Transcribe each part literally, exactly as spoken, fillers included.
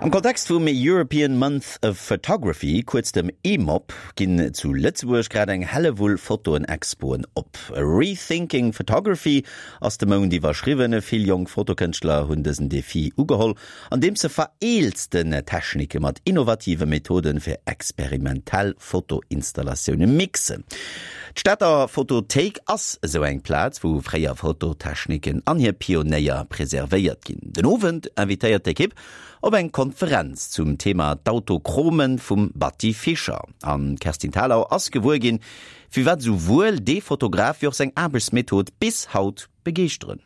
Am Kontext vum European Month of Photography, kuerz dem EMOP, ginn zu Lëtzebuerg grad eng Hellewull Fotoen-Expoen op. Rethinking Photography ass de Mount iwwerschriwwen. Vill jonk Fotokënschtler hunn dësen Defi ugeholl, andeems se vereelzten Technike mat innovative Methode fir experimentell Fotoinstallatioune mixen. D'Stater Fotothéik ass esou eng Plaz, wou fréier Fototechniken an hir Pionéier preservéiert ginn. Den Owend invitéiert d'Ekipp op eng Konferenz zum Thema d'Autochromen vum Batty Fischer. An Kerstin Thalau ass gewuer ginn, firwat souwuel de Fotograf wéi och seng Aarbechtsmethod bis haut begeeschteren.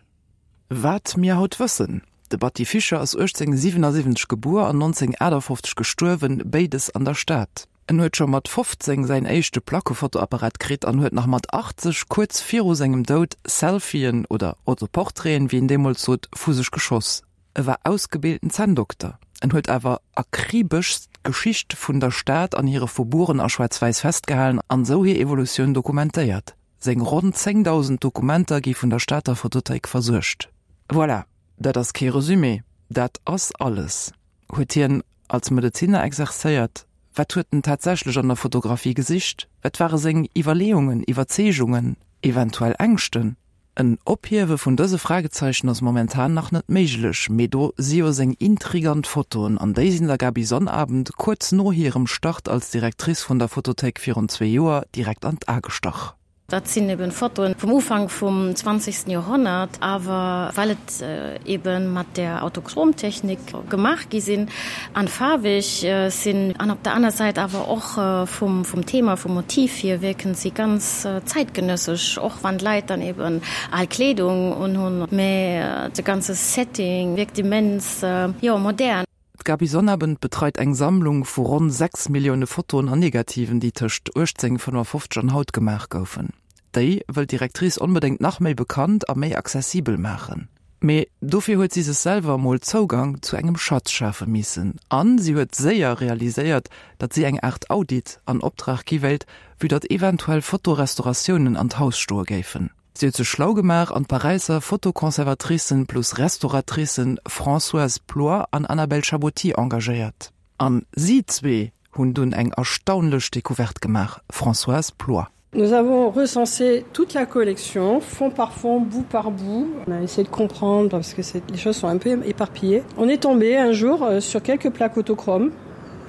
Wat mir haut wëssen: De Batty Fischer ass uechtzénghonnertsiwenasiwwenzeg gebuer an nonzénghonnertaachtafoffzeg gestuerwen, béides an der Stad. En huet scho mat fofzéng säin éischte Plackefotoapparat kritt an huet nach mat achtzeg, kuerz viru sengem Doud, Selfien oder Autoportraiten, wéi een deemools sot, vu sech geschoss. E war ausgebilten Zänndokter. En huet awer akribeschst d'Geschicht vun der Stad an hire Faubourgen a Schwaarz-Wäiss festgehalen an esou hir Evolutioun dokumentéiert. Seng ronn zéngdausend Dokumenter gi vun der Stater Fotothéik versuergt. Voilà, dat ass kee Resumé, dat ass alles. Huet hien als Medezinner exerzéiert? Wat huet en tatsächlech an der Fotografie gesicht? Wat ware seng Iwwerleeungen, Iwwerzeegungen, eventuell Ängschten? En Ophiewe vun dëse Fragezeichen ass momentan nach net méiglech, mee do si jo seng intrigant Fotoen, an déi sinn der Gaby Sonnabend kuerz no hirem Start als Directrice vun der Fotothéik virun zwee Joer direkt an d'A gestach. Dat sinn eben Fotoen vum Ufank vum zwanzegsten Joerhonnert, awer well et eben mat der Autochromtechnik gemaach gi sinn an faarweg sinn an op der aner Säit awer och vum vum Thema, vum Motiv hier wierken si ganz zäitgenëssesch, och wann d'Leit dann eben al Kleedung unhunn, mä de ganze Setting wierkt immens, jo, modern. D'Gaby Sonnabend betreit eng Sammlung vu ronn sechs Millioune Fotoen an Negativen, déi tëscht uechtzénghonnertfënnefofzeg an haut gemaach goufen. Déi wëll d'Directrice onbedéngt nach méi bekannt a méi accessibel maachen. Mee dofir huet si sech selwer emol Zougang zu engem Schatz schafe missen. A si huet séier realiséiert, datt si eng Aart Audit an Optrag gi wéilt, vue datt eventuell Fotorestauratiounen an d'Haus stoe géifen. Si huet sech schlau gemaach an d'Paräisser Fotoconservatricen plus Restauratricen Françoise Ploy an Annabelle Chaboty engagéiert. An si zwee hunn dunn eng erstaunlech Decouverte gemaach. Françoise Ploy. Nous avons recensé toute la collection, fond par fond, bout par bout. On a essayé de comprendre parce que les choses sont un peu éparpillées. On est tombé un jour euh, sur quelques plaques autochromes.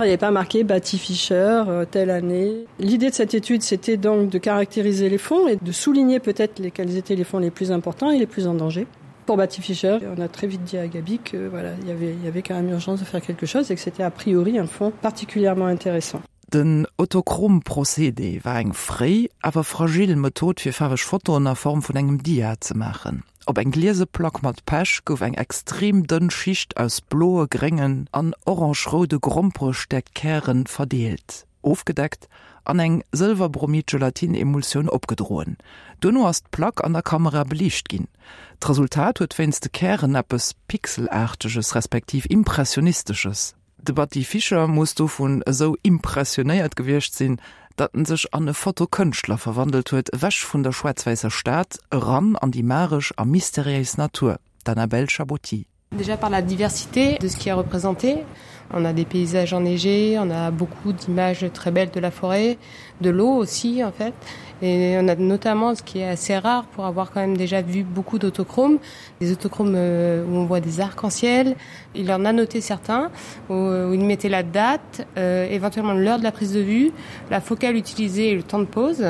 Il n'y avait pas marqué Batty Fischer euh, telle année. L'idée de cette étude, c'était donc de caractériser les fonds et de souligner peut-être lesquels étaient les fonds les plus importants et les plus en danger. Pour Batty Fischer, on a très vite dit à Gaby que voilà, il y avait, il y avait quand même urgence de faire quelque chose et que c'était a priori un fonds particulièrement intéressant. Den Autochrom-Procédé war eng fréi, awer fragil Method fir faarweg Fotoen a Form vun engem Dia ze maachen. Op eng gliese Plack mat Pech gouf eng extrem dënn Schicht aus bloe, gréngen an orange-roude Gromperestäckkäre verdeelt, ofgedeckt an eng Sëlwerbromid-Gelatine-Emulsioun opgedroen. Duerno ass d'Plack an der Kamera beliicht ginn. D'Resultat huet wéinst de Kären eppes Pixelaarteges respektiv Impressionistesches. De Batty Fischer muss dovun esou impressionéiert gewiescht sinn, datt en sech an e Fotokënschtler verwandelt huet, ewech vun der schwaarz-wäisser Stad, eran an déi magesch a mysteriéis Natur. D'Annabelle Chaboty. Déjà par la diversité de ce qui est représenté. On a des paysages enneigés, on a beaucoup d'images très belles de la forêt, de l'eau aussi en fait. Et on a notamment ce qui est assez rare pour avoir quand même déjà vu beaucoup d'autochromes, des autochromes euh, où on voit des arcs-en-ciel. Il en a noté certains où, où il mettait la date, euh, éventuellement l'heure de la prise de vue, la focale utilisée et le temps de pose.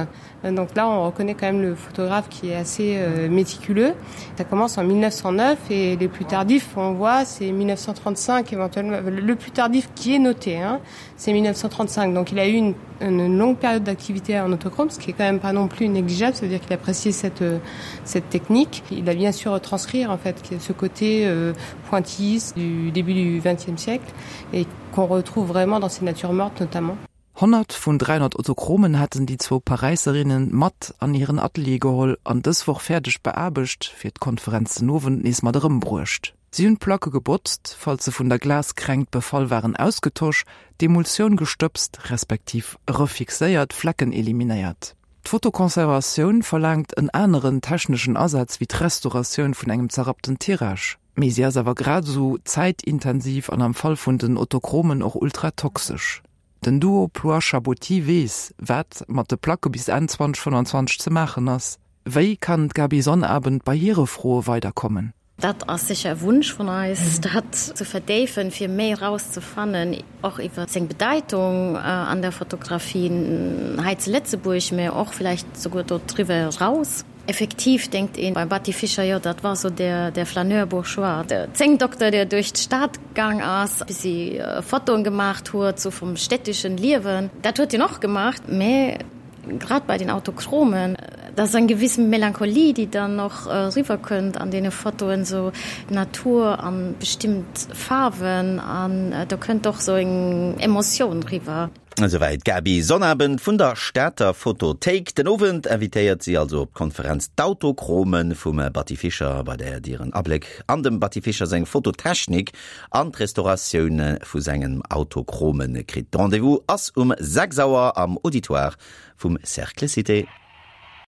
Euh, donc là, on reconnaît quand même le photographe qui est assez euh, méticuleux. Ça commence en mille neuf cent neuf et les plus tardifs, on voit, c'est mille neuf cent trente-cinq éventuellement. Le plus tardif qui est noté, hein, c'est mille neuf cent trente-cinq. Donc il a eu une, une longue période d'activité en autochrome, ce qui est quand même pas non plus négligeable. Ça veut dire qu'il appréciait cette, euh, cette technique. Il a bien su retranscrire en fait ce côté, euh, pointilliste du début du vingtième siècle et qu'on retrouve vraiment dans ces natures mortes notamment. Honnert vun dräihonnert Autochromen haten déi zwou Paräiserinne mat an hiren Atelier geholl an dës Woch fäerdeg beaarbecht, fir d'Konferenz den Owend nees mat erëmbruecht. Si hunn d'Placke gebotzt, falls se vun der Glaskränkt befall waren, ausgetosch, d'Emulsioun gestëbst respektiv refixéiert, Flecken eliminéiert. D'Fotoconservatioun verlaangt en aneren techneschen Asaz wéi d'Restauratioun vun engem zerrappten Tirage. Mee si ass awer grad esou zäitintensiv an am Fall vun den Autochromen och ultratoxesch. Den Duo Ploix-Chabauty weess, wat mat de Placke bis Enn zweitausendfënnwanzwanzeg ze maachen ass. Wéi kann d'Gaby Sonnabend bei hire Froe weiderkommen? Dat ass sécher e Wunsch vun eis, dat ze verdéifen, fir méi erauszefannen, och iwwer seng Bedeitung an der Fotografie hei zu Lëtzebuerg, mä och vläicht souguer do driwwer eraus. Effektiv denkt een beim Batty Fischer, jo, dat war sou der, der Flaneur bourgeois, der Zéngdokter, der duerch d'Stad gaang ass, bis Fotoen gemaacht huet, sou vum städteschen Liewen. Dat huet hien och gemaacht, mä grad bei den Autochromen, dat ass eng gewiss Melancholie, déi dann och eriwwerkënnt an deene Fotoen, sou d'Natur an bestimmt Faarwen, an do kënnt och sou eng Emotioun riwwer. Esouwäit d'Gaby Sonnabend vun der Stater Fotothéik. Den Owend invitéiert si also op d'Konferenz D'Autochrome vum Batty Fischer, bei där Dir en Abléck an dem Batty Fischer seng Fototechnik an d'Restauratioun vu sengen Autochrome kritt. De Rendez-vous ass um sechs Auer am Auditoire vum Cercle Cité.